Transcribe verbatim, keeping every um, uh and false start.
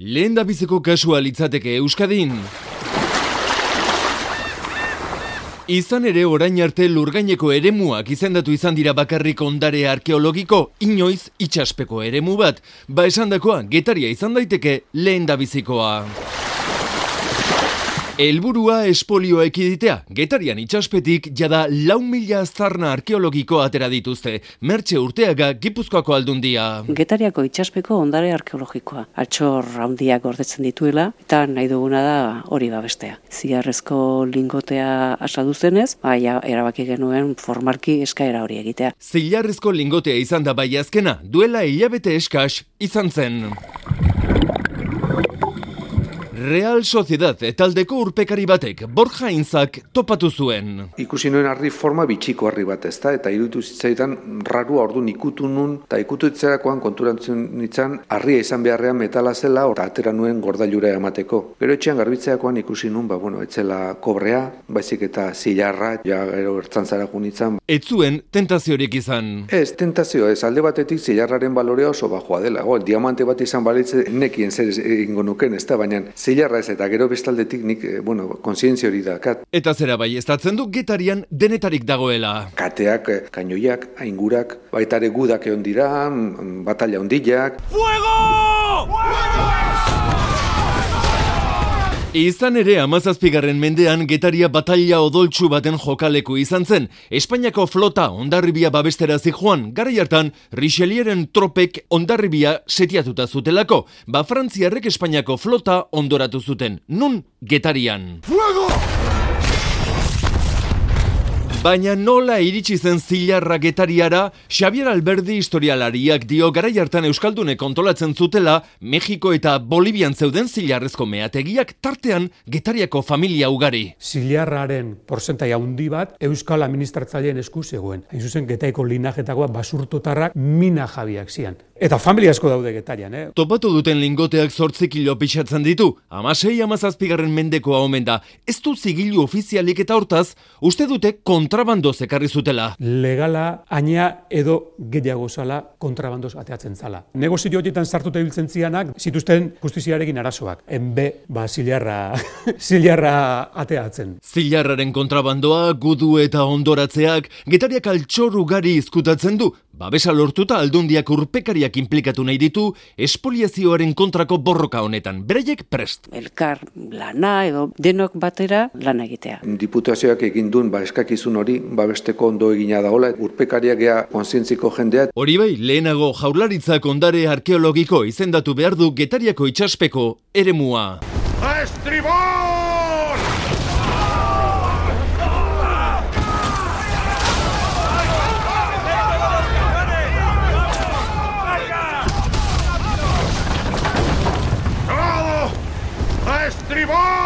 Lehendabiziko kasua litzateke Euskadin. Izan ere orain arte lurgaineko eremuak izendatu izan dira bakarrik ondare arkeologiko, inoiz itsaspeko eremu bat. Ba esandakoa, Getaria izan daiteke lehendabizikoa. Helburua espolioa ekiditea. Getarian itsaspetik jada lau mila aztarna arkeologiko atera dituzte. Mertxe Urteaga, Gipuzkoako Aldundia. Getariako itsaspeko ondare arkeologikoa. Altxor handiak gordetzen dituela, eta nahi duguna da hori babestea. Zilarrezko lingotea asadu zenez, baina erabaki genuen formalki eskaera hori egitea. Zilarrezko lingotea izan da bai azkena, duela hilabete eskas izan zen. Real Sociedad taldeko urpekari batek Borja Inzak topatu zuen. Ikusi nuen harri forma bitxiko harri bat, ezta, eta iruditu zitzaidan rarua ordu ikutu nun, eta ikutu itzerakoan konturantzen nintzen harria izan beharrean metala zela, eta atera nuen gordailura emateko. Gero etxean garbitzeakoan ikusi nun, ba, bueno, etzela kobrea, baizik eta zilarra, ja gero ertzantzara junitzen. Ez zuen tentaziorik izan. Ez, tentazio ez, alde batetik zilarraren balorea oso bajoa dela. Go, diamante bat izan balitze nekien zer egingo nuken, ezta, baina zilarra ez, eta gero bestaldetik nik, bueno, kontzientzia hori dakat. Eta zera bai, estatzen du Getarian denetarik dagoela. Kateak, kainoiak, aingurak, baita ere gudak egon dira, batalla hondiak. Fuego! Fuego! Izan ere hamazazpigarren mendean Getaria bataila odoltsu baten jokaleku izan zen. Espainiako flota Hondarribia babestera zijoan, garai hartan Richelieuren tropek Hondarribia setiatuta zutelako. Ba Frantziarrek Espainiako flota ondoratu zuten. Nun? Getarian. Fuego! Baina nola iritsi zen zilarra Getariara, Xabier Alberdi historialariak dio garai hartan euskaldunek kontrolatzen zutela Mexiko eta Bolivian zeuden zilarrezko meategiak tartean Getariako familia ugari. Zilarraren porzentai handi bat euskal administratzaileen esku zegoen. Hain zuzen Getaiko linajetakoa basurtotarrak mina jabiak zian. Eta familia asko daude Getarian, eh? Topatu duten lingoteak zortzi kilo pixatzen ditu. Hamasei hamazazpigarren mendekoa omen da. Ez du zigilu ofizialik eta hortaz, uste dute kontrabandoz ekarri zutela. Legala, aina edo gehiago zala kontrabandoz ateatzen zala. Negozio horietan sartuta ibiltzen zianak, zituzten justiziarekin arazoak. Enbe, ba, zilarra, zilarra ateatzen. Zilarraren kontrabandoa, gudu eta ondoratzeak, Getariak altxor ugari izkutatzen du. Babesa lortuta Aldundiak urpekariak inplikatu nahi ditu espoliazioaren kontrako borroka honetan. Beraiek prest. Elkar lana edo denok batera lana egitea. Diputazioak egin duen ba eskakizun hori babesteko ondo egina dagoela, urpekariak gea kontzientziko jendea. Hori bai, lehenago Jaurlaritzak ondare arkeologiko izendatu behar du Getariako itsaspeko eremua. Estribor! ¡Estribor!